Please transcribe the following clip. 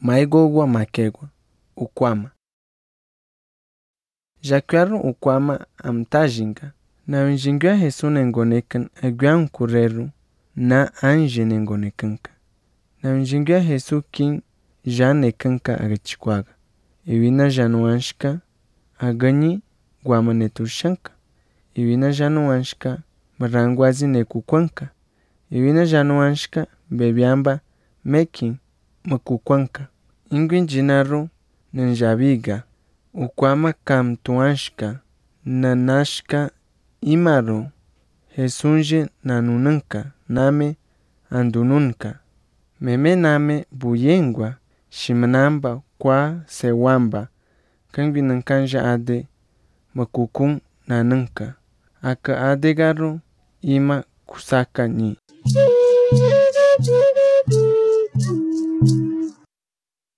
maigogwa makegwa ukwama. Jacuaru ukwama amtajinga, na unjingua Jesu nengonekan aguan kureru na anje nengonekanka. Na unjingua Jesu kin janekanka agachikwaga. Iwina januanshka agani guamanetushanka. Iwina januanshka marangwazi nekukwanka. Iwina januanshka bebiamba mekin makukwanka. Ingwin jinaru nanjabiga. Ukwama kam tuanshka nanashka imaru Jesunje nanunanka name andununka. Meme name buyengwa shimanamba kwa sewamba. Kangwi nankanja ade makukun nananka. Aka adegaru ima kusaka ni.